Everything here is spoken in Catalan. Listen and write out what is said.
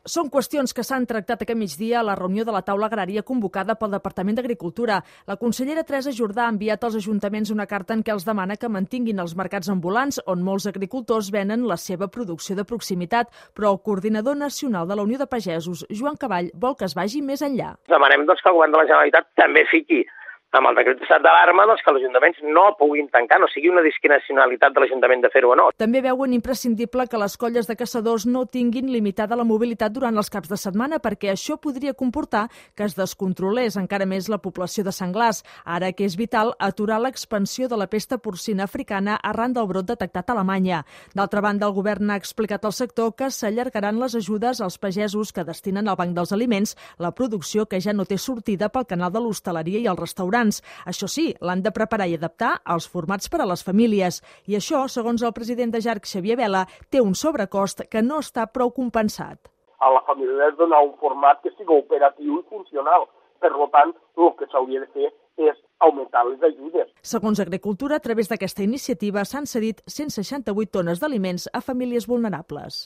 Són qüestions que s'han tractat aquest migdia a la reunió de la taula agrària convocada pel Departament d'Agricultura. La consellera Teresa Jordà ha enviat als ajuntaments una carta en què els demana que mantinguin els mercats ambulants on molts agricultors venen la seva producció de proximitat, però el coordinador nacional de la Unió de Pagesos, Joan Caball, vol que es vagi més enllà. Demanem que el govern de la Generalitat també fiqui amb el decret d'estat d'alarma que els ajuntaments no puguin tancar, no sigui una discrecionalitat de l'Ajuntament de fer-ho o no. També veuen imprescindible que les colles de caçadors no tinguin limitada la mobilitat durant els caps de setmana perquè això podria comportar que es descontrolés encara més la població de senglars, ara que és vital aturar l'expansió de la pesta porcina africana arran del brot detectat a Alemanya. D'altra banda, el govern ha explicat al sector que s'allargaran les ajudes als pagesos que destinen al Banc dels Aliments la producció que ja no té sortida pel canal de l'hostaleria i els restaurants. Això sí, l'han de preparar i adaptar als formats per a les famílies. I això, segons el president de JARC, Xavier Vela, té un sobrecost que no està prou compensat. A la família és donar un format que sigui operatiu i funcional. Per tant, el que s'hauria de fer és augmentar les ajudes. Segons Agricultura, a través d'aquesta iniciativa s'han cedit 168 tones d'aliments a famílies vulnerables.